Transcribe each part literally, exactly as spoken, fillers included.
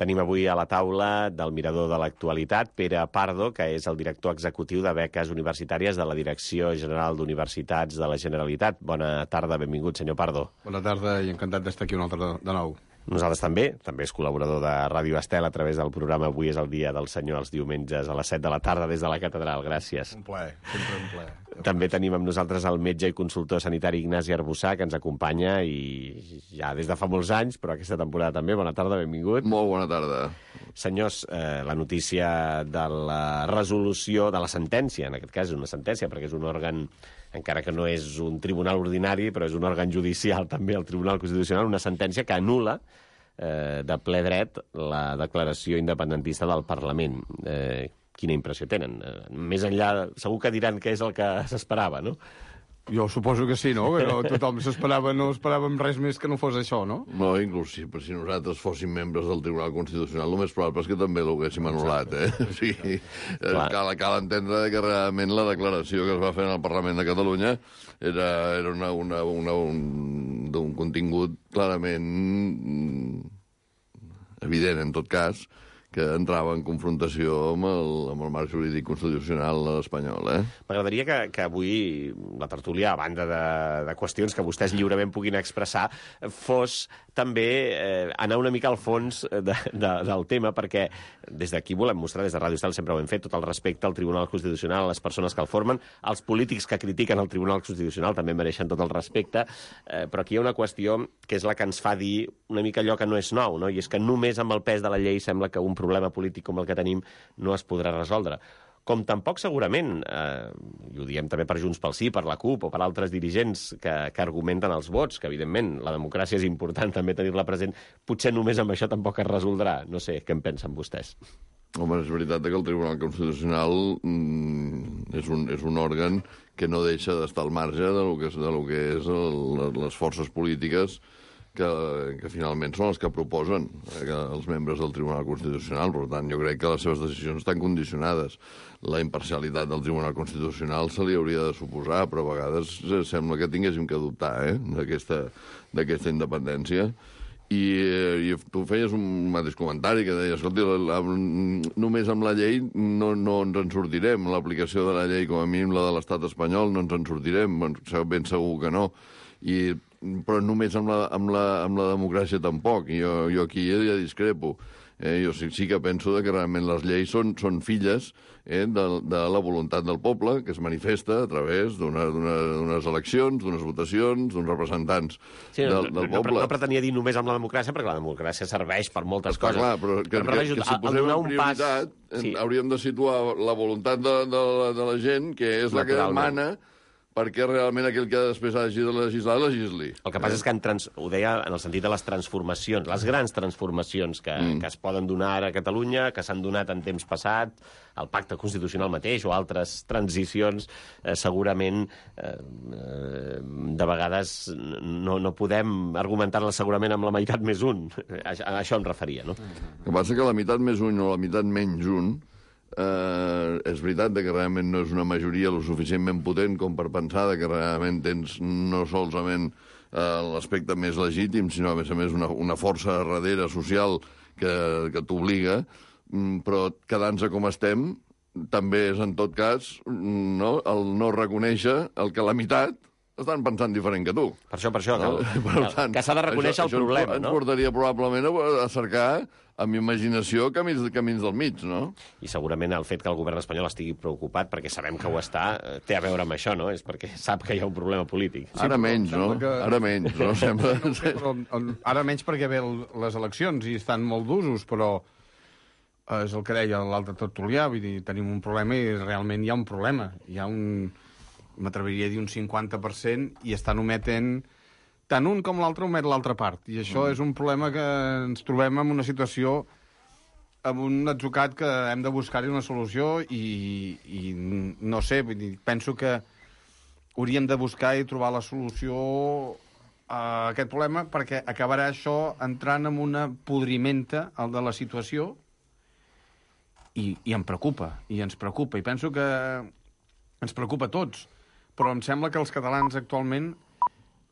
Tenim avui a la taula del Mirador de l'Actualitat Pere Pardo, que és el director executiu de beques universitàries de la Direcció General d'Universitats de la Generalitat. Bona tarda, benvingut, senyor Pardo. Bona tarda i encantat d'estar aquí un altre de nou. Nosaltres també, també és col·laborador de Ràdio Estel a través del programa Avui és el dia del senyor els diumenges a les set de la tarda des de la catedral. Gràcies. Un plaer, sempre un plaer. També tenim amb nosaltres el metge i consultor sanitari Ignasi Arbussà, que ens acompanya i ja des de fa molts anys, però aquesta temporada també. Bona tarda, benvingut. Molt bona tarda. Senyors, eh, la notícia de la resolució, de la sentència, en aquest cas és una sentència perquè és un òrgan, encara que no és un tribunal ordinari, però és un òrgan judicial també, el Tribunal Constitucional, una sentència que anul·la eh, de ple dret la declaració independentista del Parlament. Eh, quina impressió tenen? Eh, més enllà, segur que diran que és el que s'esperava, no? Jo suposo que sí, no? Que no, tothom s'esperava, no esperàvem res més que no fos això, no? No, inclús si, si nosaltres fóssim membres del Tribunal Constitucional, el més probable és que també l'haguéssim anul·lat, eh? O sigui, cal, cal entendre que realment la declaració que es va fer en el Parlament de Catalunya era, era una, una, una, un, d'un contingut clarament evident, en tot cas, que entrava en confrontació amb el, amb el marc jurídic constitucional espanyol. Eh? M'agradaria que, que avui la tertúlia, a banda de, de qüestions que vostès lliurement puguin expressar, fos també eh, anar una mica al fons de, de, del tema, perquè des d'aquí volem mostrar, des de Ràdio Estel sempre ho hem fet, tot el respecte al Tribunal Constitucional, a les persones que el formen, als polítics que critiquen el Tribunal Constitucional també mereixen tot el respecte, eh, però aquí hi ha una qüestió que és la que ens fa dir una mica allò que no és nou, no? I és que només amb el pes de la llei sembla que un problema polític com el que tenim no es podrà resoldre. Com tampoc segurament, eh, i ho diem també per Junts pel Sí, per la CUP o per altres dirigents que, que argumenten els vots, que evidentment la democràcia és important també tenir-la present, potser només amb això tampoc es resoldrà. No sé, què en pensen vostès? Home, és veritat que el Tribunal Constitucional mm, és, un, és un òrgan que no deixa d'estar al marge de lo que és, de lo que és el, les forces polítiques que, que finalment són els que proposen eh, que els membres del Tribunal Constitucional. Per tant, jo crec que les seves decisions estan condicionades. La imparcialitat del Tribunal Constitucional se li hauria de suposar, però a vegades eh, sembla que tinguéssim que dubtar eh, d'aquesta independència. I, eh, I tu feies un mateix comentari que deies, escolti, la, la, només amb la llei no, no ens en sortirem. L'aplicació de la llei, com a mínim la de l'estat espanyol, no ens en sortirem. Ben segur que no. I però només amb la, amb la, amb la democràcia tampoc. Jo, jo aquí ja discrepo. Eh, jo sí, sí que penso que realment les lleis són, són filles eh, de, de la voluntat del poble, que es manifesta a través d'unes eleccions, d'unes votacions, d'uns representants sí, del, no, del no, poble. No, no pretenia dir només amb la democràcia, perquè la democràcia serveix per moltes Està coses. clar, però que, però, que, que, que si posem en prioritat, pas... sí. hauríem de situar la voluntat de, de, de la gent, que és la que demana perquè realment aquell que després hagi de legislar, legisli. El que passa eh? és que, en trans... ho deia en el sentit de les transformacions, les grans transformacions que, mm. que es poden donar ara a Catalunya, que s'han donat en temps passat, el pacte constitucional mateix o altres transicions, eh, segurament eh, de vegades no, no podem argumentar-les segurament amb la meitat més un. A, a això em referia, no? El que passa que la meitat més un o la meitat menys un Uh, és veritat que realment no és una majoria lo suficientment potent com per pensar que realment tens no solament uh, l'aspecte més legítim, sinó a més a més una, una força darrere social que, que t'obliga, mm, però quedant-se com estem també és en tot cas no, el no reconèixer el que la meitat estan pensant diferent que tu. Per això, per això, no? que, per tant, que s'ha de reconèixer això, el problema, ens, no? Ens portaria probablement a cercar amb imaginació camins, camins del mig, no? I segurament el fet que el govern espanyol estigui preocupat, perquè sabem que ho està, té a veure amb això, no? És perquè sap que hi ha un problema polític. Sí, ara menys, no? Que... Ara menys, no? Sembla... no sé, però, ara menys perquè ve les eleccions i estan molt d'usos, però és el que deia l'altre tertulià, vull dir, tenim un problema i realment hi ha un problema. Hi ha un... m'atreviria a dir un cinquanta per cent i estan ometent tant un com l'altre omet l'altra part. I això mm. és un problema que ens trobem en una situació, amb un atzucat que hem de buscar-hi una solució i, i no sé, vull dir, penso que hauríem de buscar i trobar la solució a aquest problema perquè acabarà això entrant en una podrimenta el de la situació i, i em preocupa, i ens preocupa. I penso que ens preocupa a tots. Però em sembla que els catalans actualment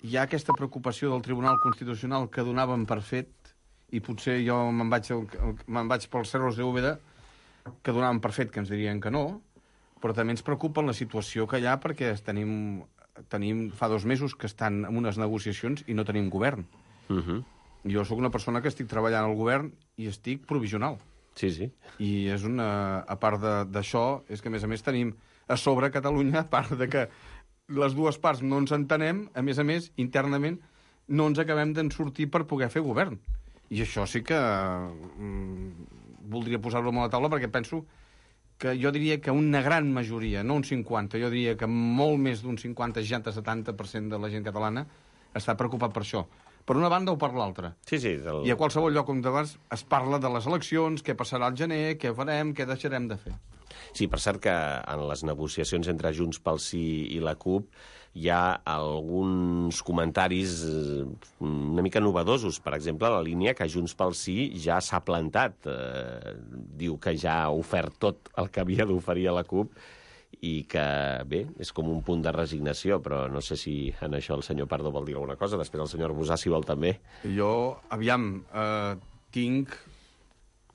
hi ha aquesta preocupació del Tribunal Constitucional que donàvem per fet i potser jo me'n vaig, me'n vaig pels cerros de Úbeda, que donaven per fet que ens dirien que no, però també ens preocupa la situació que hi ha perquè tenim, tenim fa dos mesos que estan en unes negociacions i no tenim govern. Uh-huh. Jo sóc una persona que estic treballant al govern i estic provisional. Sí, sí. I és una, a part d'això, és que a més a més tenim a sobre Catalunya, a part de que les dues parts no ens entenem, a més a més, internament, no ens acabem d'en sortir per poder fer govern. I això sí que mm, voldria posar-ho a la taula, perquè penso que jo diria que una gran majoria, no un cinquanta, jo diria que molt més d'un cinquanta, seixanta, setanta per cent de la gent catalana està preocupat per això. Per una banda o per l'altra. Sí, sí. Del... I a qualsevol lloc on vas es parla de les eleccions, què passarà al gener, què farem, què deixarem de fer. Sí, per cert que en les negociacions entre Junts pel Sí i la CUP hi ha alguns comentaris una mica novedosos. Per exemple, la línia que Junts pel Sí ja s'ha plantat. Eh, diu que ja ha ofert tot el que havia d'oferir a la CUP i que, bé, és com un punt de resignació, però no sé si en això el senyor Pardo vol dir alguna cosa. Després el senyor Arbusà, si vol, també. Jo, aviam, eh, tinc,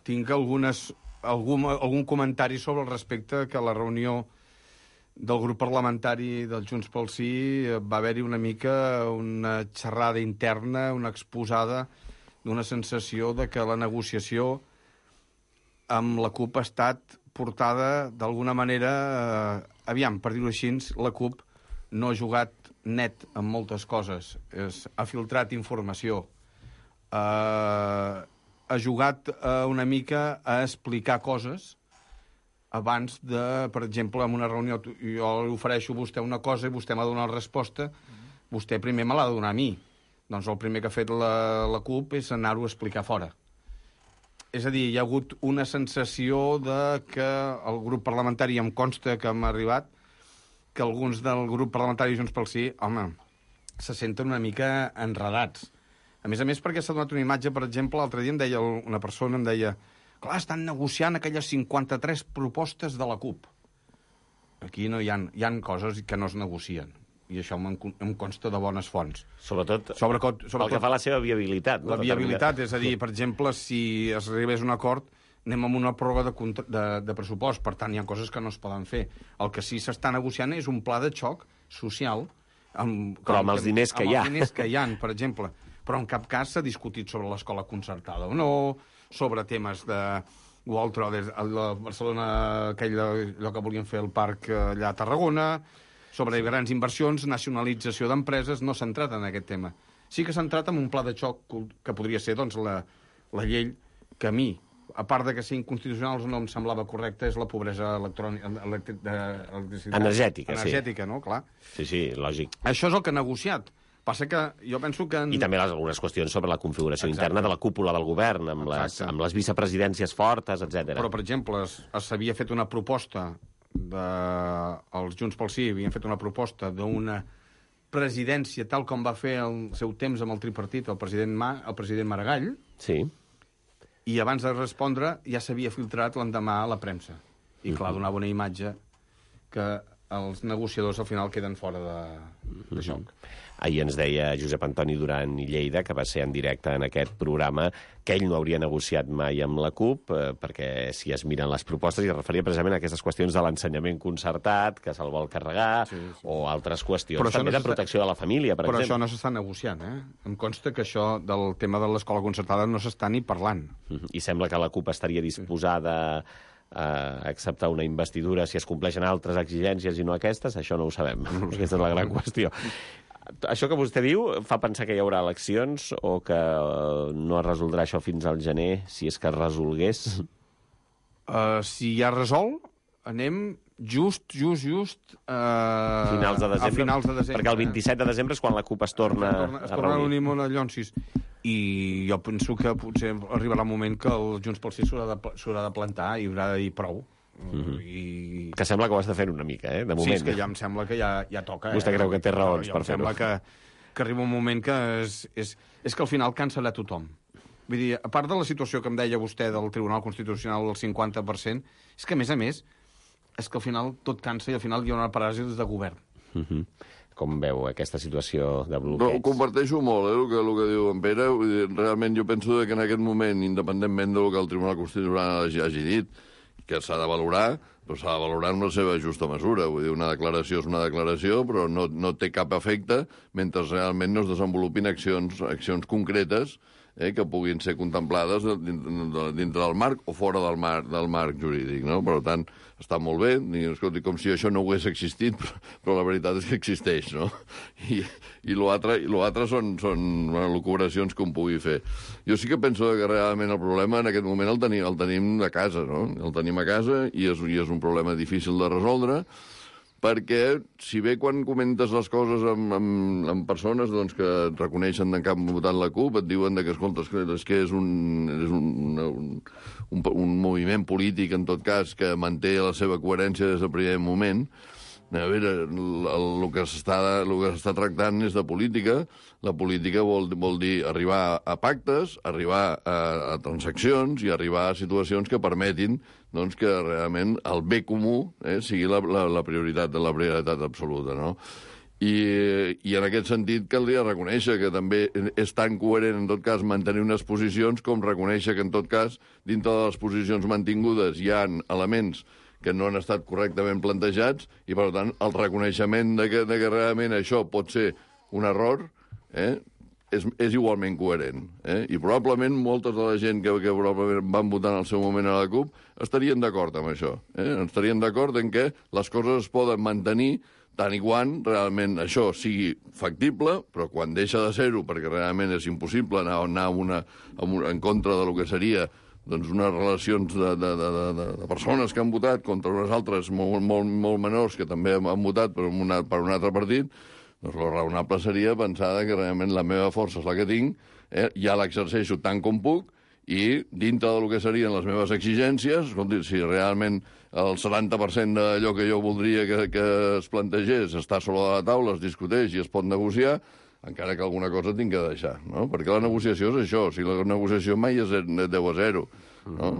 tinc algunes, algun, algun comentari sobre el respecte que a la reunió del grup parlamentari del Junts pel Sí va haver-hi una mica una xerrada interna, una exposada d'una sensació de que la negociació amb la CUP ha estat portada d'alguna manera, eh, aviam, per dir-ho així, la CUP no ha jugat net en moltes coses, es, ha filtrat informació, eh, ha jugat eh, una mica a explicar coses abans de, per exemple, en una reunió, jo li ofereixo a vostè una cosa i vostè m'ha de donar la resposta, vostè primer me l'ha de donar a mi. Doncs el primer que ha fet la, la CUP és anar-ho a explicar fora. És a dir, hi ha hagut una sensació de que el grup parlamentari, em consta que m'ha arribat, que alguns del grup parlamentari Junts pel Sí, home, se senten una mica enredats. A més a més, perquè s'ha donat una imatge, per exemple, l'altre dia em deia una persona, em deia, clar, estan negociant aquelles cinquanta-tres propostes de la CUP. Aquí no hi ha, hi ha coses que no es negocien. I això em, em consta de bones fonts. Sobretot, sobretot, sobretot el que fa la seva viabilitat. La no? viabilitat, és a dir, per exemple, si es arribés a un acord, anem amb una pròrroga de, de, de pressupost, per tant, hi ha coses que no es poden fer. El que sí s'està negociant és un pla de xoc social... Amb, Però amb els diners que amb hi ha. Amb els diners que hi ha, per exemple. Però en cap cas s'ha discutit sobre l'escola concertada o no, sobre temes de... o altre, a Barcelona, aquell, allò que volien fer el parc allà a Tarragona, sobre grans inversions, nacionalització d'empreses, no s'ha entrat en aquest tema. Sí que s'ha entrat en un pla de xoc que podria ser doncs, la, la llei que a mi, a part de que ser inconstitucional no em semblava correcta, és la pobresa electrònica, electric, de, energètica, energètica, sí. no? Clar. Sí, sí, lògic. Això és el que ha negociat. Passa que jo penso que... En... I també les, algunes qüestions sobre la configuració Exacte. interna de la cúpula del govern, amb, les, amb les vicepresidències fortes, etcètera. Però, per exemple, s'havia fet una proposta de... els Junts pel Sí havien fet una proposta d'una presidència tal com va fer el seu temps amb el tripartit el president, Ma, el president Maragall, sí. I abans de respondre ja s'havia filtrat l'endemà a la premsa. I clar, donava una imatge que els negociadors al final queden fora de, de joc. Ahir ens deia Josep Antoni Duran i Lleida, que va ser en directe en aquest programa, que ell no hauria negociat mai amb la CUP, eh, perquè si es miren les propostes, i es referia precisament a aquestes qüestions de l'ensenyament concertat, que se'l vol carregar, sí, sí. O altres qüestions, també no de protecció de la família, per però exemple. Però això no s'està negociant, eh? Em consta que això del tema de l'escola concertada no s'està ni parlant. I sembla que la CUP estaria disposada a acceptar una investidura si es compleixen altres exigències i no aquestes, això no ho sabem. Aquesta és la gran qüestió. Això que vostè diu fa pensar que hi haurà eleccions o que no es resoldrà això fins al gener, si és que es resolgués? Uh, si ja resol, anem just, just, just... Uh, finals de desembre, a finals de desembre. Perquè el vint-i-set de desembre és quan la CUP es torna, es torna, es torna a reunir. A unir Llonsis. I jo penso que potser arribarà un moment que el Junts pel Sí s'haurà de, de plantar i haurà de dir prou. Mm-hmm. I... Que sembla que ho està fent una mica, eh, de moment. Sí, és que ja em sembla que ja, ja toca. Vostè eh? creu que té raons no, per fer-ho? Em sembla que, que arriba un moment que és, és, és que al final cancel·la tothom. Vull dir, a part de la situació que em deia vostè del Tribunal Constitucional del cinquanta per cent, és que, a més a més, és que al final tot cansa i al final hi ha una paràlisi de govern. Mm-hmm. com veu aquesta situació de No, bloqueig? ho comparteixo molt, eh, el que, el que diu en Pere. Vull dir, realment jo penso que en aquest moment, independentment del que el Tribunal Constitucional hagi, hagi dit, que s'ha de valorar, però s'ha de valorar en la seva justa mesura. Vull dir, una declaració és una declaració, però no, no té cap efecte mentre realment no es desenvolupin accions, accions concretes eh, que puguin ser contemplades dintre, dintre del marc o fora del marc, del marc jurídic. No? Per tant, està molt bé, escolti, com si això no hagués existit, però, però la veritat és que existeix, no? I, i l'altre són, són bueno, lucubracions que un pugui fer. Jo sí que penso que realment el problema en aquest moment el tenim, el tenim a casa, no? El tenim a casa i és, i és un problema difícil de resoldre, perquè, si bé quan comentes les coses amb, amb, amb persones doncs, que et reconeixen que han votat la CUP, et diuen que, escolta, és que és un, és un, un, un, un moviment polític, en tot cas, que manté la seva coherència des del primer moment. A veure, el, el que s'està tractant és de política. La política vol, vol dir arribar a pactes, arribar a, a transaccions i arribar a situacions que permetin doncs, que realment el bé comú eh, sigui la, la, la, prioritat, la prioritat absoluta, no? I, I en aquest sentit caldria reconèixer que també és tan coherent, en tot cas, mantenir unes posicions com reconèixer que, en tot cas, dintre de les posicions mantingudes hi ha elements que no han estat correctament plantejats i, per tant, el reconeixement de que, de que realment això pot ser un error eh, és, és igualment coherent. Eh? I probablement moltes de la gent que, que probablement van votar en el seu moment a la CUP estarien d'acord amb això. Eh? Estarien d'acord en que les coses es poden mantenir tant i quan realment això sigui factible, però quan deixa de ser-ho, perquè realment és impossible anar, anar una, una, en contra de lo que seria doncs unes relacions de, de, de, de, de persones que han votat contra unes altres molt, molt, molt menors que també han votat per, una, per un altre partit, doncs el raonable seria pensar que realment la meva força és la que tinc, eh, ja l'exerceixo tant com puc, i dintre del que serien les meves exigències, escolti, si realment el setanta per cent d'allò que jo voldria que, que es plantegés està sobre la taula, es discuteix i es pot negociar, encara que alguna cosa tinc que deixar, no? Perquè la negociació és això, o sigui, la negociació mai és deu a zero, no?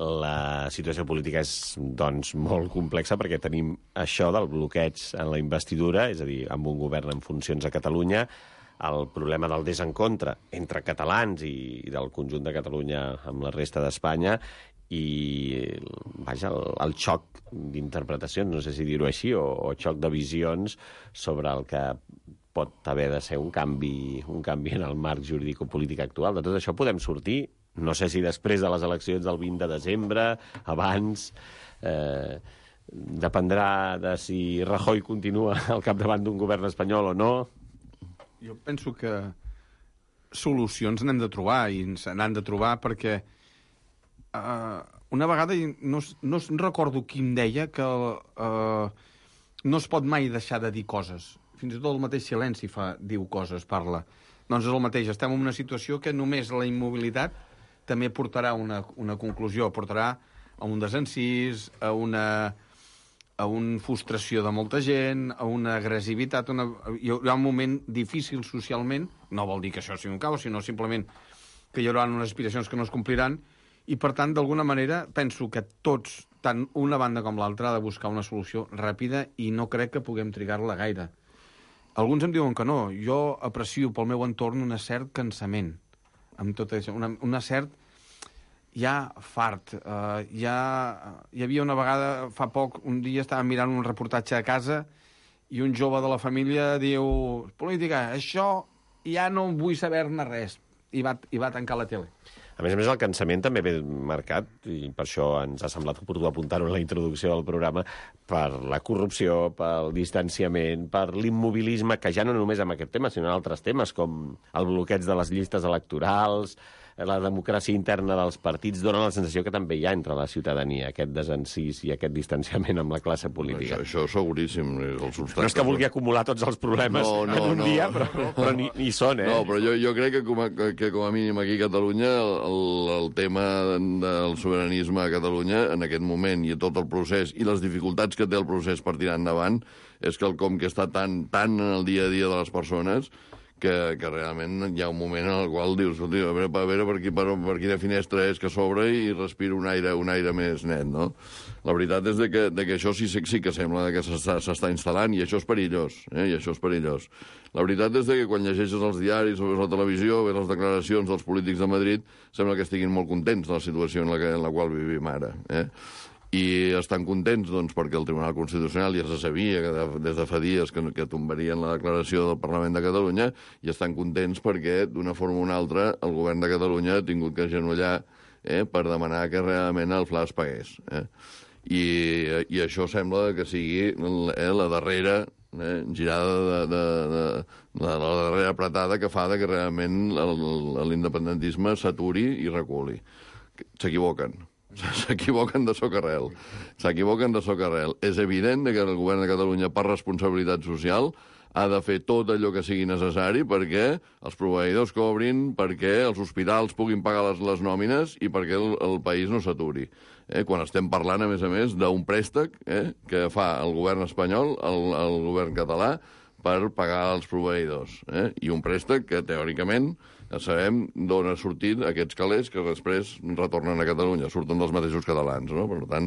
La situació política és, doncs, molt complexa perquè tenim això del bloqueig en la investidura, és a dir, amb un govern en funcions a Catalunya, el problema del desencontre entre catalans i, i del conjunt de Catalunya amb la resta d'Espanya i, vaja, el, el xoc d'interpretacions, no sé si dir-ho així, o, o xoc de visions sobre el que pot haver de ser un canvi, un canvi en el marc jurídico-polític actual. De tot això podem sortir, no sé si després de les eleccions del vint de desembre, abans, eh, dependrà de si Rajoy continua al capdavant d'un govern espanyol o no. Jo penso que solucions n'hem de trobar, i se n'han de trobar perquè uh, una vegada, no, no recordo qui em deia, que uh, no es pot mai deixar de dir coses. Fins i tot el mateix silenci fa, diu coses, parla. Doncs és el mateix, estem en una situació que només la immobilitat també portarà una, una conclusió, portarà a un desencís, a una, a una frustració de molta gent, a una agressivitat, una, hi haurà un moment difícil socialment, no vol dir que això sigui un caos, sinó simplement que hi haurà unes aspiracions que no es compliran, i per tant, d'alguna manera, penso que tots, tant una banda com l'altra, ha de buscar una solució ràpida i no crec que puguem trigar-la gaire. Alguns em diuen que no. Jo aprecio pel meu entorn un cert cansament amb tot això, una, una cert ja fart. Uh, ja, hi havia una vegada, fa poc, un dia estàvem mirant un reportatge a casa i un jove de la família diu: política, això ja no vull saber-ne res. I va, i va tancar la tele. A més a més, el cansament també ve marcat, i per això ens ha semblat oportú apuntar-ho en la introducció del programa, per la corrupció, pel distanciament, per l'immobilisme, que ja no només amb aquest tema, sinó en altres temes, com el bloqueig de les llistes electorals, la democràcia interna dels partits, dona la sensació que també hi ha entre la ciutadania aquest desencís i aquest distanciament amb la classe política. Això, això seguríssim. El no és que vulgui acumular tots els problemes no, no, en un no, dia, però, no, però ni, ni són, eh? No, però jo, jo crec que com, a, que com a mínim aquí a Catalunya el, el tema del sobiranisme a Catalunya en aquest moment i tot el procés i les dificultats que té el procés per tirar endavant és quelcom que està tan, tan en el dia a dia de les persones que, que realment hi ha un moment en el qual dius, a veure, a veure per, qui, per, per quina finestra és que s'obre i respira un aire, un aire més net, no? La veritat és de que, de que això sí, sí que sembla que s'està instal·lant, i això és perillós, eh? I això és perillós. La veritat és de que quan llegeixes els diaris o veus la televisió, veus les declaracions dels polítics de Madrid, sembla que estiguin molt contents de la situació en la, que, en la qual vivim ara, eh? I estan contents doncs, perquè el Tribunal Constitucional ja se sabia que de, des de fa dies que, que tombarien la declaració del Parlament de Catalunya, i estan contents perquè, d'una forma o una altra, el govern de Catalunya ha tingut que agenollar eh, per demanar que realment el Fla es pagués. Eh? I, I això sembla que sigui eh, la darrera eh, girada de, de, de, de la darrera apretada que fa de que realment l'independentisme s'aturi i reculi. S'equivoquen. S'equivoquen de socarrel. S'equivoquen de socarrel. És evident que el govern de Catalunya, per responsabilitat social, ha de fer tot allò que sigui necessari perquè els proveïdors cobrin, perquè els hospitals puguin pagar les, les nòmines i perquè el, el país no s'aturi. Eh? Quan estem parlant, a més a més, d'un préstec eh, que fa el govern espanyol, el, el govern català, per pagar els proveïdors. Eh? I un préstec que, teòricament, ja sabem d'on ha sortit aquests calés que després retornen a Catalunya, surten dels mateixos catalans, no? Per tant,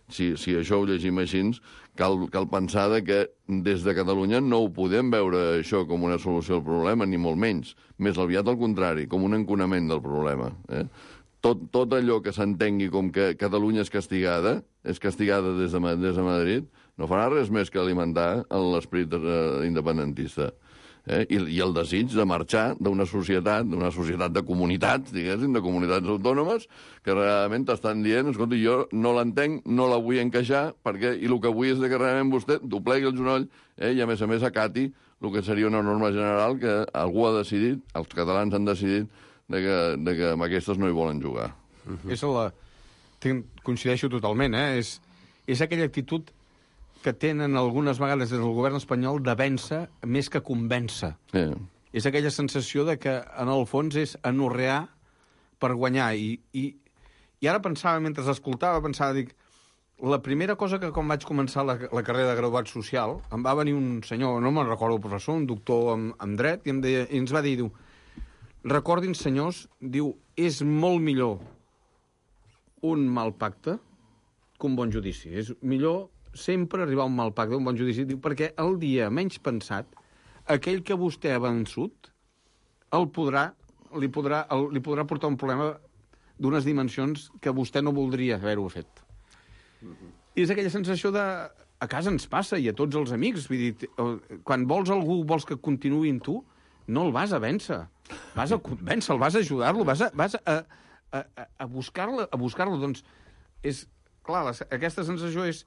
si, si això ho llegim així, cal, cal pensar de que des de Catalunya no ho podem veure això com una solució al problema, ni molt menys. Més aviat al contrari, com un enconament del problema. Eh? Tot, tot allò que s'entengui com que Catalunya és castigada, és castigada des de, des de Madrid, no farà res més que alimentar l'esperit eh, independentista. Eh? I, I el desig de marxar d'una societat, d'una societat de comunitats, diguéssim, de comunitats autònomes, que realment t'estan dient, escolta, jo no l'entenc, no la vull encaixar, perquè, i el que vull és que realment vostè doblegui el genoll eh? I, a més a més, acati el que seria una norma general que algú ha decidit, els catalans han decidit, de que, de que amb aquestes no hi volen jugar. Uh-huh. És la... Coincideixo totalment, eh? És, és aquella actitud que tenen algunes vegades des del govern espanyol de vèncer més que convèncer. Yeah. És aquella sensació de que, en el fons, és anorrear per guanyar. I, i, i ara pensava, mentre escoltava, pensava, dic, la primera cosa que quan vaig començar la, la carrera de graduat social, em va venir un senyor, no me'n recordo el professor, un doctor en, en dret, i, em deia, i ens va dir, diu, recordin, senyors, diu, és molt millor un mal pacte que un bon judici. És millor sempre arribar a un mal pacte, un bon judici, diu, perquè el dia menys pensat, aquell que vostè ha vençut, el podrà, li, podrà, el, li podrà portar un problema d'unes dimensions que vostè no voldria haver-ho fet. Mm-hmm. I és aquella sensació de... A casa ens passa, i a tots els amics. Vull dir, quan vols algú, vols que continuï amb tu, no el vas a vèncer. Vas a convèncer-lo, vas a ajudar-lo, vas a, vas a, a, a buscar-lo. A buscar-lo. Doncs, és, clar, la, aquesta sensació és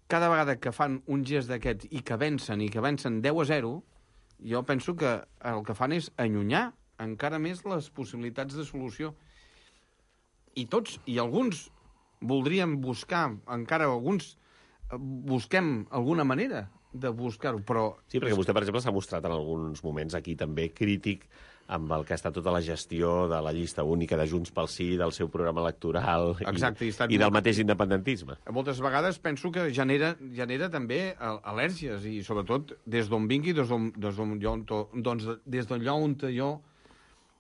cada vegada que fan un gest d'aquests i que vencen, i que vencen deu a zero, jo penso que el que fan és allunyar encara més les possibilitats de solució. I tots, i alguns voldríem buscar, encara alguns busquem alguna manera de buscar-ho, però... Sí, perquè vostè, per exemple, s'ha mostrat en alguns moments aquí també crític amb el que ha estat tota la gestió de la llista única de Junts pel Sí, del seu programa electoral. Exacte, i, i, i del mateix independentisme. Moltes vegades penso que genera, genera també al·lèrgies, i sobretot des d'on vingui, des d'on jo, doncs, des d'allò on jo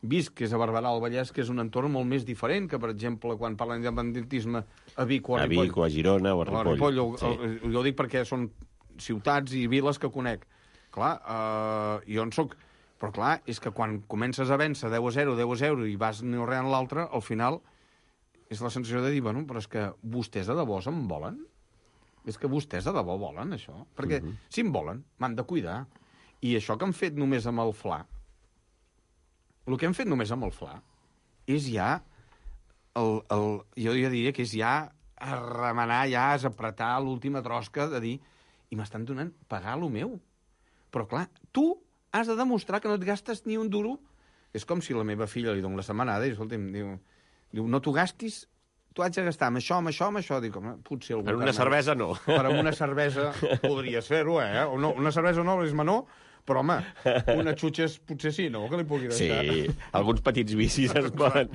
visc, que és a Barberà del Vallès, que és un entorn molt més diferent que, per exemple, quan parla d'independentisme a Vic o a Ripoll. A Vic o a Girona o a Ripoll. A Ripoll, o, sí. o, jo ho dic perquè són ciutats i viles que conec. Clar, eh, jo en soc... Però clar, és que quan comences a vèncer deu a zero, deu a zero i vas anorreant l'altre, al final és la sensació de dir, bueno, però és que vostès de debò se'n volen? És que vostès de debò volen, això? Perquè uh-huh. si em volen, m'han de cuidar. I això que han fet només amb el Fla, el que han fet només amb el Fla, és ja, el, el, jo ja diria que és ja a remenar, ja a apretar l'última trosca de dir, i m'estan donant pagar lo meu. Però clar, tu has de demostrar que no et gastes ni un duro. És com si la meva filla li dono la setmanada i, escolta'm, diu, diu no t'ho gastis, tu haig de gastar amb això, amb això, amb això. Dic, home, potser algú... Per una cervesa no. Per una cervesa podries fer-ho, eh? O no, una cervesa no, és menor, Però, home, una xutxa potser sí, no? Que li pugui deixar. Sí, alguns petits vicis es poden...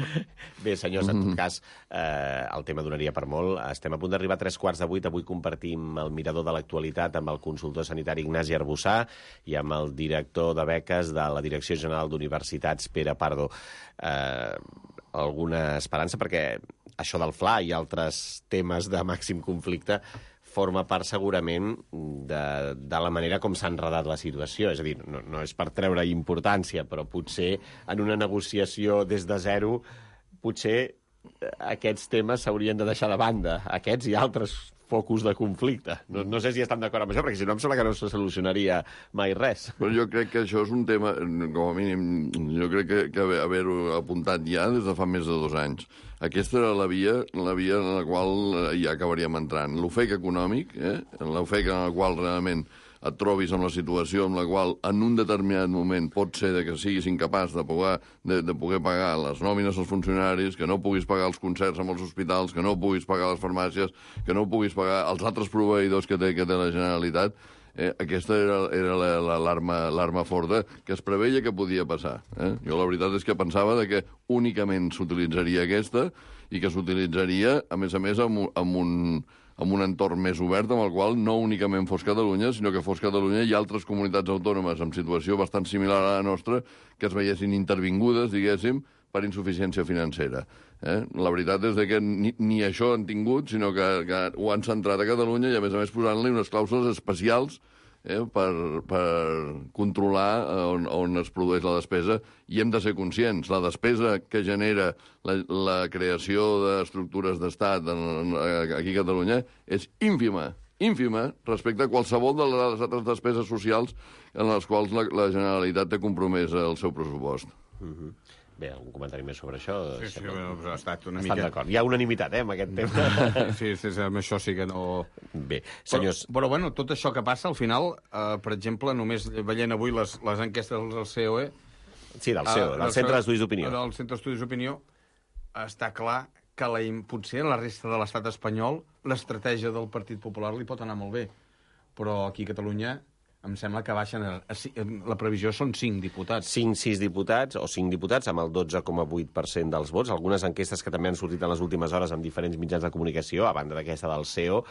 Bé, senyors, en tot cas, eh, el tema donaria per molt. Estem a punt d'arribar a tres quarts de vuit. Avui compartim el mirador de l'actualitat amb el consultor sanitari Ignasi Arbussà i amb el director de beques de la Direcció General d'Universitats, Pere Pardo. Eh, alguna esperança? Perquè això del F L A i altres temes de màxim conflicte forma part segurament de, de la manera com s'ha enredat la situació. És a dir, no, no és per treure importància, però potser en una negociació des de zero, potser aquests temes s'haurien de deixar de banda, aquests i altres focus de conflicte. No, no sé si estan d'acord amb això, perquè si no em sembla que no se solucionaria mai res. Però jo crec que això és un tema, com a mínim, jo crec que, que haver-ho apuntat ja des de fa més de dos anys. Aquesta era la via, la via en la qual ja acabaríem entrant. L'ofec econòmic, eh? l'ofec en el qual realment et trobis en la situació en la qual en un determinat moment pot ser de que siguis incapaç de poder, de, de poder pagar les nòmines als funcionaris, que no puguis pagar els concerts amb els hospitals, que no puguis pagar les farmàcies, que no puguis pagar els altres proveïdors que té, que té la Generalitat. Eh, aquesta era, era l'arma la, la, forta que es preveia que podia passar. Eh? Jo la veritat és que pensava de que únicament s'utilitzaria aquesta i que s'utilitzaria, a més a més, amb, amb un... amb un entorn més obert, amb el qual no únicament fos Catalunya, sinó que fos Catalunya i altres comunitats autònomes amb situació bastant similar a la nostra que es veiessin intervingudes, diguéssim, per insuficiència financera. Eh? La veritat és que ni, ni això han tingut, sinó que, que ho han centrat a Catalunya i, a més a més, posant-li unes clàusules especials eh, per, per controlar on, on es produeix la despesa. I hem de ser conscients, la despesa que genera la, la creació d'estructures d'estat aquí a Catalunya és ínfima, ínfima respecte a qualsevol de les altres despeses socials en les quals la, la Generalitat té compromès el seu pressupost. Mm-hmm. Bé, algun comentari més sobre això? Sí, sí, bueno, ha estat una Estan mica... d'acord. Hi ha unanimitat, eh, amb aquest tema. Sí, sí, sí, amb això sí que no... Bé, senyors... Però, però bueno, tot això que passa, al final, eh, per exemple, només veient avui les, les enquestes del C O E... Sí, del C O E, del Centre d'Estudis d'Opinió. Del Centre d'Estudis d'Opinió, està clar que la, potser a la resta de l'estat espanyol l'estratègia del Partit Popular li pot anar molt bé. Però aquí a Catalunya em sembla que baixen... A, a, la previsió són cinc diputats. cinc sis diputats, o cinc diputats, amb el dotze coma vuit per cent dels vots. Algunes enquestes que també han sortit en les últimes hores amb diferents mitjans de comunicació, a banda d'aquesta del C E O,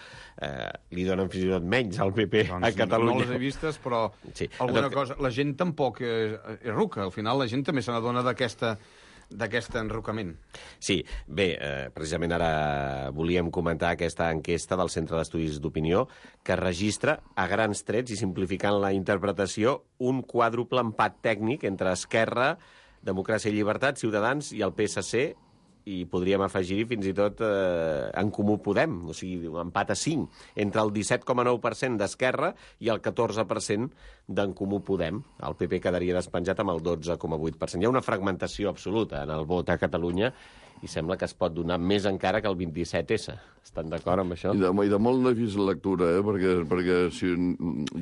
eh, li donen fins i tot menys al P P doncs, a Catalunya. No les he vistes, però sí. alguna tot... cosa... La gent tampoc és, és ruca. Al final la gent també se n'adona d'aquesta... d'aquest enrocament. Sí, bé, eh, precisament ara volíem comentar aquesta enquesta del Centre d'Estudis d'Opinió que registra, a grans trets i simplificant la interpretació, un quàdruple empat tècnic entre Esquerra, Democràcia i Llibertat, Ciutadans i el P S C, i podríem afegir-hi fins i tot eh, en Comú Podem, o sigui, un empat a cinc, entre el disset coma nou per cent d'Esquerra i el catorze per cent d'en Comú Podem. El P P quedaria despenjat amb el dotze coma vuit per cent. Hi ha una fragmentació absoluta en el vot a Catalunya i sembla que es pot donar més encara que el vint-i-set essa. Estan d'acord amb això? I de, i de molt difícil lectura, eh? perquè, perquè si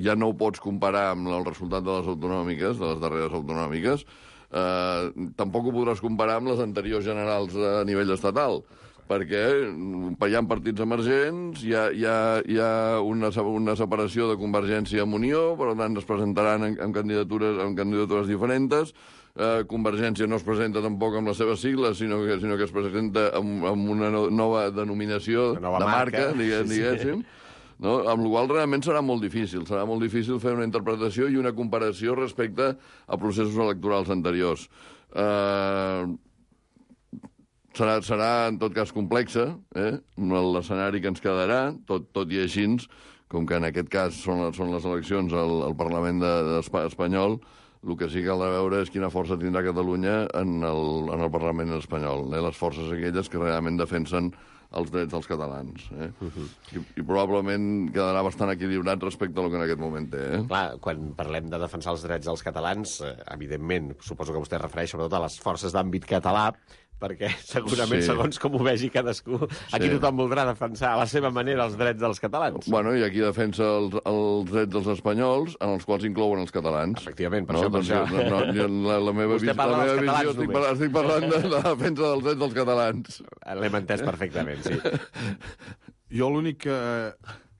ja no ho pots comparar amb el resultat de les autonòmiques, de les darreres autonòmiques, Uh, tampoc ho podràs comparar amb les anteriors generals a nivell estatal, perquè hi ha partits emergents, hi ha, hi ha, hi ha una, una separació de Convergència amb Unió, per tant es presentaran en, en, candidatures, en candidatures diferents. Uh, Convergència no es presenta tampoc amb les seves sigles, sinó que, sinó que es presenta amb, amb una no, nova denominació una nova de marca, marca, diguem, sí, diguéssim. Sí. No? Amb la qual cosa realment serà molt difícil. Serà molt difícil fer una interpretació i una comparació respecte a processos electorals anteriors. Uh, serà, serà, en tot cas, complexa, eh? l'escenari que ens quedarà, tot, tot i així, com que en aquest cas són, les, són les eleccions al, al Parlament de, de espanyol, el que sí que cal veure és quina força tindrà Catalunya en el, en el Parlament espanyol. Eh? Les forces aquelles que realment defensen els drets dels catalans. Eh? Uh-huh. I, I probablement quedarà bastant equilibrat respecte al que en aquest moment té. Eh? Clar, quan parlem de defensar els drets dels catalans, eh, evidentment, suposo que vostè es refereix sobretot a les forces d'àmbit català, perquè segurament, sí, segons com ho vegi cadascú, aquí sí, tothom voldrà defensar a la seva manera els drets dels catalans. Bueno, i aquí defensa els, els drets dels espanyols, en els quals inclouen els catalans. Efectivament, per no? això, per doncs, això. No, no, la, la meva, Vostè vis, parla la meva dels catalans visió, estic, par estic parlant de la defensa dels drets dels catalans. L'hem entès perfectament, sí. Jo l'únic que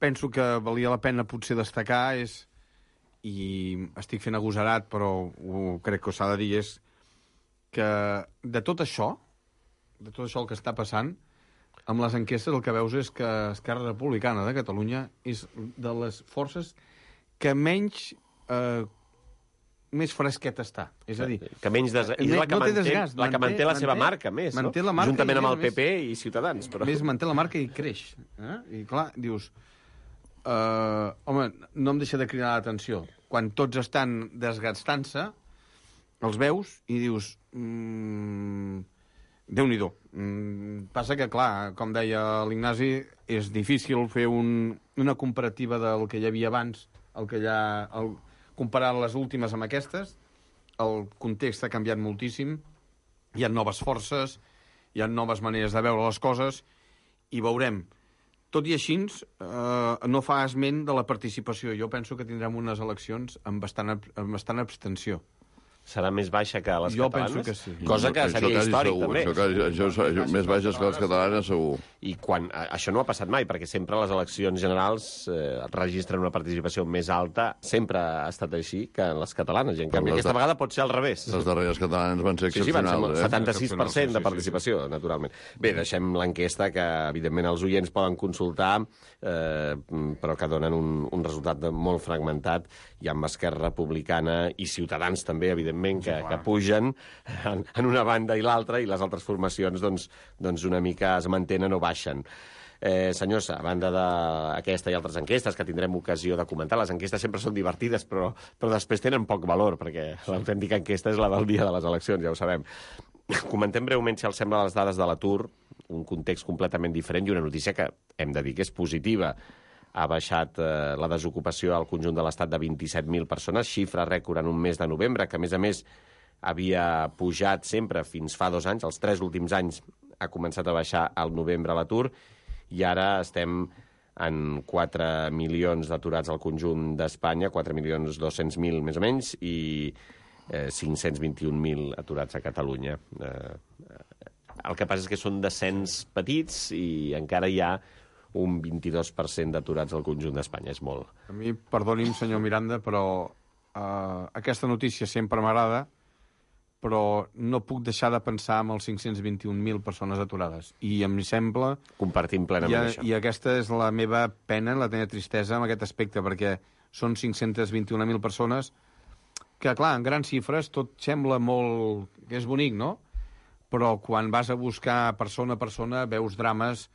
penso que valia la pena potser destacar és i estic fent agosarat, però ho, crec que s'ha de dir, és que de tot això, de tot això el que està passant, amb les enquestes el que veus és que Esquerra Republicana de Catalunya és de les forces que menys... Eh, més fresqueta està. És a dir... Que menys des... és la que, no manté, desgast, la que manté, manté la seva manté, marca, més, manté no? La marca juntament amb el més, P P i Ciutadans. Però... Més manté la marca i creix. Eh? I clar, dius... Uh, home, no em deixa de cridar l'atenció. Quan tots estan desgastant-se, els veus i dius... Mm, Déu-n'hi-do. Mm, passa que, clar, com deia l'Ignasi, és difícil fer un, una comparativa del que hi havia abans, el que hi ha... El, comparar les últimes amb aquestes, el context ha canviat moltíssim, hi ha noves forces, hi ha noves maneres de veure les coses, i veurem. Tot i així, eh, no fa esment de la participació. Jo penso que tindrem unes eleccions amb bastant, amb bastant abstenció. Serà més baixa que les jo catalanes? Jo penso que sí. Cosa que això seria històric, segur, també. Això, quasi, això, això, més baixes que les catalanes, segur. I quan, això no ha passat mai, perquè sempre les eleccions generals eh, registren una participació més alta, sempre ha estat així que en les catalanes, i en canvi aquesta vegada pot ser al revés. Les darreres catalanes van ser excepcionals. Sí, sí, van ser setanta-sis per cent eh? de participació, sí, sí, sí. naturalment. Bé, deixem l'enquesta, que evidentment els oients poden consultar, eh, però que donen un, un resultat molt fragmentat, i amb Esquerra Republicana i Ciutadans també, evidentment, que, sí, que pugen en, en una banda i l'altra, i les altres formacions doncs, doncs una mica es mantenen o baixen. Eh, senyors, a banda d'aquesta i altres enquestes que tindrem ocasió de comentar, les enquestes sempre són divertides, però, però després tenen poc valor, perquè l'autèntica enquesta és la del dia de les eleccions, ja ho sabem. Comentem breument, si els sembla, les dades de l'atur, un context completament diferent i una notícia que hem de dir que és positiva. Ha baixat eh, la desocupació al conjunt de l'Estat de vint-i-set mil persones, xifra rècord en un mes de novembre, que a més a més havia pujat sempre fins fa dos anys, els tres últims anys ha començat a baixar al novembre l'atur, i ara estem en quatre milions d'aturats al conjunt d'Espanya, quatre milions dos-cents mil més o menys, i eh, cinc-cents vint-i-un mil aturats a Catalunya. Eh, el que passa és que són descens petits i encara hi ha un vint-i-dos per cent d'aturats al conjunt d'Espanya. És molt. A mi, perdoni'm, senyor Miranda, però uh, aquesta notícia sempre m'agrada, però no puc deixar de pensar en els cinc-cents vint-i-un mil persones aturades. I em sembla... Compartim plenament i, a, això. I aquesta és la meva pena, la meva tristesa en aquest aspecte, perquè són cinc-cents vint-i-un mil persones que, clar, en grans xifres tot sembla molt... que és bonic, no? Però quan vas a buscar persona a persona veus drames,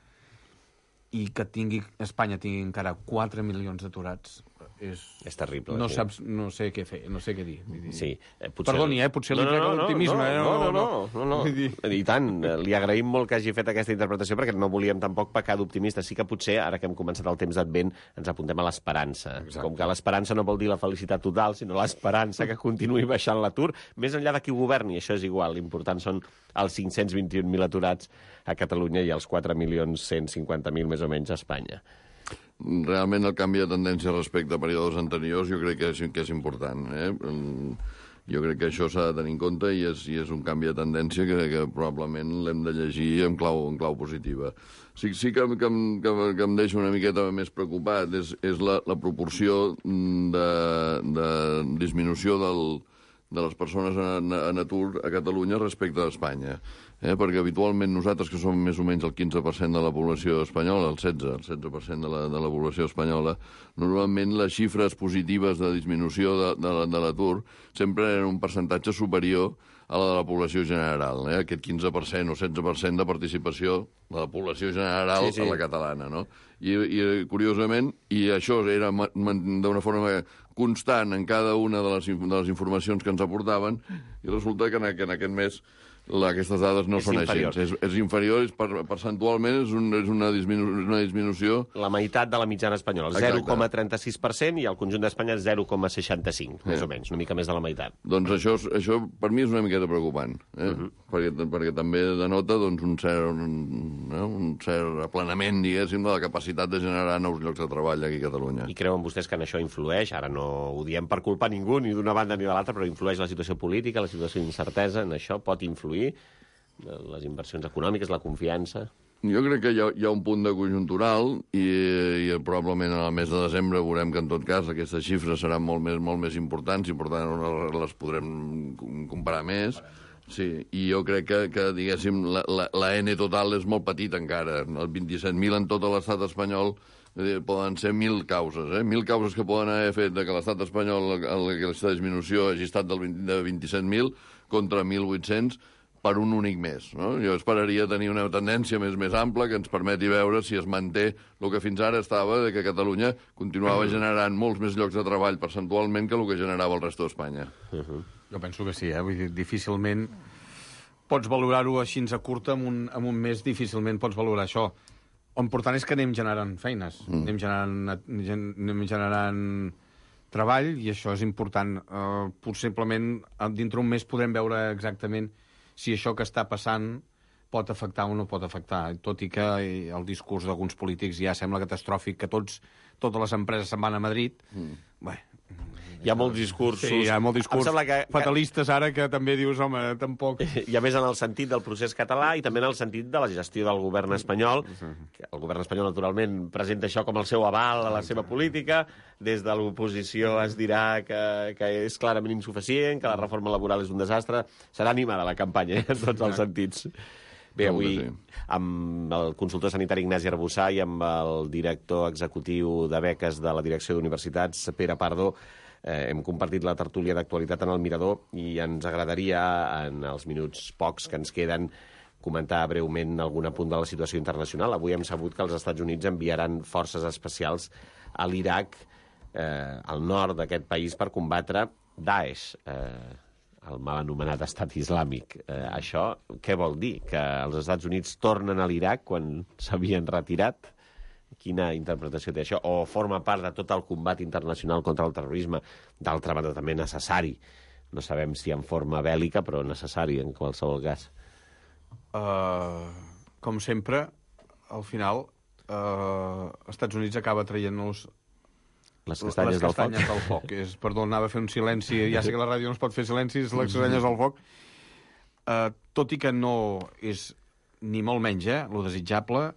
i que tingui Espanya tingui encara quatre milions d'aturats és... És terrible. No sí. saps, no sé què fer, no sé què dir. Sí. Eh, potser... Perdoni, eh? Potser li no, no, trec no, l'optimisme. No, eh? no, no, no, no, no, no. I tant, li agraïm molt que hagi fet aquesta interpretació, perquè no volíem tampoc pecar d'optimista. Sí que potser, ara que hem començat el temps d'Advent, ens apuntem a l'esperança. Com que l'esperança no vol dir la felicitat total, sinó l'esperança que continuï baixant l'atur, més enllà de qui governi, això és igual. L'important són els cinc-cents vint-i-un mil aturats a Catalunya i els quatre milions cent cinquanta mil més o menys a Espanya. Realment el canvi de tendència respecte a períodes anteriors jo crec que és, que és important. Eh? Jo crec que això s'ha de tenir en compte i és, i és un canvi de tendència que, que probablement l'hem de llegir en clau, en clau positiva. Sí, sí que, que, que, que em deixa una miqueta més preocupat és, és la, la proporció de, de disminució del, de les persones en, en atur a Catalunya respecte a Espanya. Eh? Perquè habitualment nosaltres, que som més o menys el quinze per cent de la població espanyola, el setze, el setze per cent de la, de la població espanyola, normalment les xifres positives de disminució de, de, de l'atur sempre eren un percentatge superior a la de la població general, eh? Aquest quinze per cent o setze per cent de participació de la població general sí, sí. a la catalana, no? I, i curiosament, i això era d'una forma constant en cada una de les, de les informacions que ens aportaven, i resulta que en, que en aquest mes la, aquestes dades no és són inferior. Així. És, és inferior, és per, percentualment és, un, és una, disminu, una disminució... La meitat de la mitjana espanyola, el zero coma trenta-sis per cent, i el conjunt d'Espanya és zero coma seixanta-cinc, més o menys, una mica més de la meitat. Doncs això, això per mi és una miqueta preocupant, eh? uh-huh. perquè, perquè també denota doncs, un, cert, un, eh? un cert aplanament, diguéssim, de la capacitat de generar nous llocs de treball aquí a Catalunya. I creuen vostès que en això influeix, ara no ho diem per culpar ningú, ni d'una banda ni de l'altra, però influeix la situació política, la situació d'incertesa, en això pot influir les inversions econòmiques, la confiança? Jo crec que hi ha, hi ha un punt de conjuntural i, i probablement en el mes de desembre veurem que en tot cas aquestes xifres seran molt més, molt més importants i per tant les podrem comparar més. Sí, i jo crec que, que diguéssim, la, la, la N total és molt petita encara. Els vint-i-set mil en tot l'estat espanyol eh, poden ser mil causes, eh? Mil causes que poden haver fet de que l'estat espanyol, aquesta disminució hagi estat del vint, de vint-i-set mil contra mil vuit-cents per un únic mes. No? Jo esperaria tenir una tendència més més ampla que ens permeti veure si es manté el que fins ara estava, de que Catalunya continuava generant molts més llocs de treball percentualment que el que generava el resto d'Espanya. Uh -huh. Jo penso que sí, eh? Vull dir, difícilment pots valorar-ho així a curta, en un, en un mes difícilment pots valorar això. L'important és que anem generant feines, mm. anem generant, anem generant treball, i això és important. Uh, possiblement, dintre un mes podrem veure exactament si això que està passant pot afectar o no pot afectar, tot i que el discurs d'alguns polítics ja sembla catastròfic, que tots, totes les empreses se'n van a Madrid. Mm. Bé, hi ha molts discursos... Sí, hi ha molts discursos que, fatalistes ara que també dius, home, tampoc... I a més en el sentit del procés català i també en el sentit de la gestió del govern espanyol. El govern espanyol, naturalment, presenta això com el seu aval a la seva política. Des de l'oposició es dirà que, que és clarament insuficient, que la reforma laboral és un desastre. Serà animada la campanya, eh, en tots els sentits. Bé, avui, amb el consultor sanitari Ignasi Arbussà i amb el director executiu de beques de la Direcció d'Universitats, Pere Pardo, eh, hem compartit la tertúlia d'actualitat en el Mirador i ens agradaria, en els minuts pocs que ens queden, comentar breument algun apunt de la situació internacional. Avui hem sabut que els Estats Units enviaran forces especials a l'Iraq, eh, al nord d'aquest país, per combatre Daesh, eh, el mal anomenat estat islàmic. Eh, això què vol dir? Que els Estats Units tornen a l'Iraq quan s'havien retirat? Quina interpretació té això? O forma part de tot el combat internacional contra el terrorisme, d'altra banda també necessari? No sabem si en forma bèl·lica, però necessari en qualsevol cas. Uh, com sempre, al final, uh, Estats Units acaba traient-nos les castanyes, les castanyes del foc. del foc. És, perdó, anava a fer un silenci. Ja sé que la ràdio no es pot fer silencis, les castanyes del foc. Uh, tot i que no és ni molt menys, eh, lo desitjable,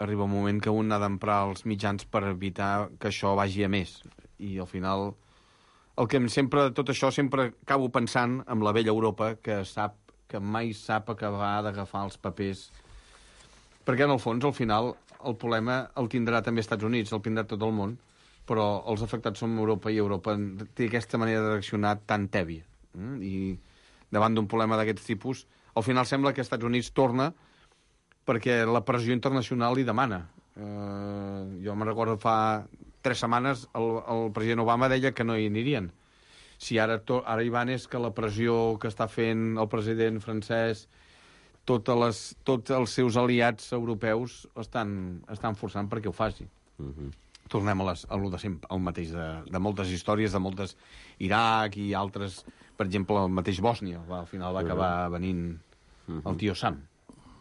arriba un moment que un ha d'emprar els mitjans per evitar que això vagi a més. I al final, el que sempre, tot això sempre acabo pensant en la vella Europa, que sap que mai sap acabar d'agafar els papers. Perquè, en el fons, al final, el problema el tindrà també Estats Units, el tindrà tot el món, però els afectats són Europa, i Europa té aquesta manera de reaccionar tan tèbia. I davant d'un problema d'aquests tipus, al final sembla que Estats Units torna perquè la pressió internacional li demana. Uh, jo me'n recordo fa tres setmanes el, el president Obama deia que no hi anirien. Si ara, to, ara hi van és que la pressió que està fent el president francès, totes les, tots els seus aliats europeus estan, estan forçant perquè ho faci. Uh-huh. Tornem a, les, a lo de sempre, al mateix de, de moltes històries, de moltes Iraq i altres, per exemple, el mateix Bòsnia, va, al final va acabar venint uh-huh. el tio Sam.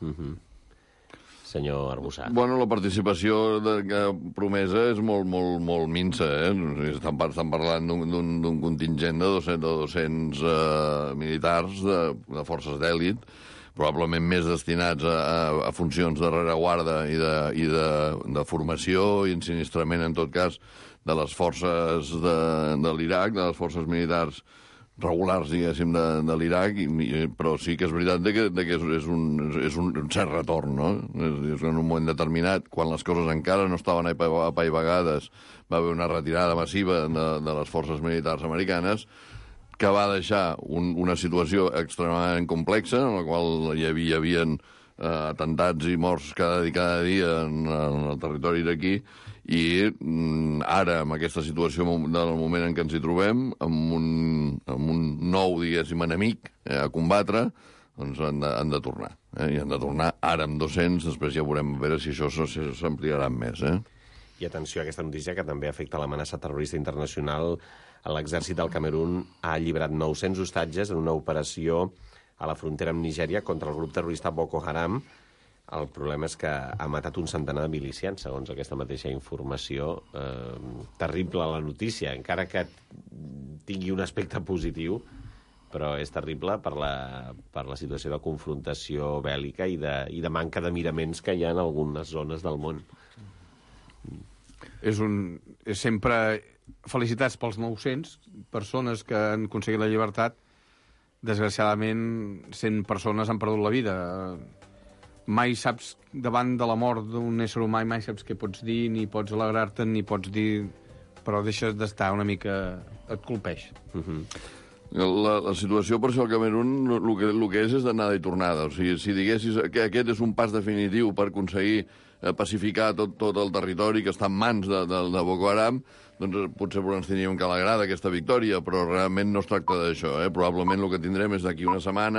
Uh-huh. Senyor Arbussà. Bueno, la participació de, que promesa és molt, molt, molt minsa, eh? Estan, estan parlant d'un contingent de dos-cents, de dos-cents uh, militars de, de forces d'èlit, probablement més destinats a, a, a funcions de rereguarda i, de, i de, de formació i ensinistrament, en tot cas, de les forces de, de l'Iraq, de les forces militars regulars, diguéssim, de, de l'Iraq, però sí que és veritat de que, de que és, és, un, és un cert retorn, no? És, és en un moment determinat, quan les coses encara no estaven apaivagades, va haver una retirada massiva de, de les forces militars americanes, que va deixar un, una situació extremadament complexa, en la qual hi havia, hi havia eh, atemptats i morts cada, cada dia en, en el territori iraquí, i mm, ara, amb aquesta situació del moment en què ens hi trobem, amb un, amb un nou, diguéssim, enemic eh, a combatre, doncs han de, han de tornar. Eh? I han de tornar ara amb dos-cents, després ja veurem a veure si això s'ampliarà més. Eh? I atenció a aquesta notícia, que també afecta l'amenaça terrorista internacional. L'exèrcit del Camerun ha alliberat nou-cents hostatges en una operació a la frontera amb Nigèria contra el grup terrorista Boko Haram. El problema és que ha matat un centenar de milicians, segons aquesta mateixa informació. Eh, terrible la notícia, encara que tingui un aspecte positiu, però és terrible per la, per la situació de confrontació bèl·lica i de, i de manca de miraments que hi ha en algunes zones del món. És un... És sempre... Felicitats pels nou-cents, persones que han aconseguit la llibertat. Desgraciadament, cent persones han perdut la vida. Mai saps, davant de la mort d'un ésser humà, mai saps què pots dir, ni pots alegrar-te, ni pots dir... Però deixes d'estar una mica... Et colpeix. Uh-huh. La, la situació, per això, al Camerun, el que, el que és és d'anada i tornada. O sigui, si diguessis que aquest és un pas definitiu per aconseguir eh, pacificar tot, tot el territori que està en mans de, de, de Boko Haram, doncs potser ens tindríem que alegrar d'aquesta victòria, però realment no es tracta d'això. Eh? Probablement el que tindrem és d'aquí una setmana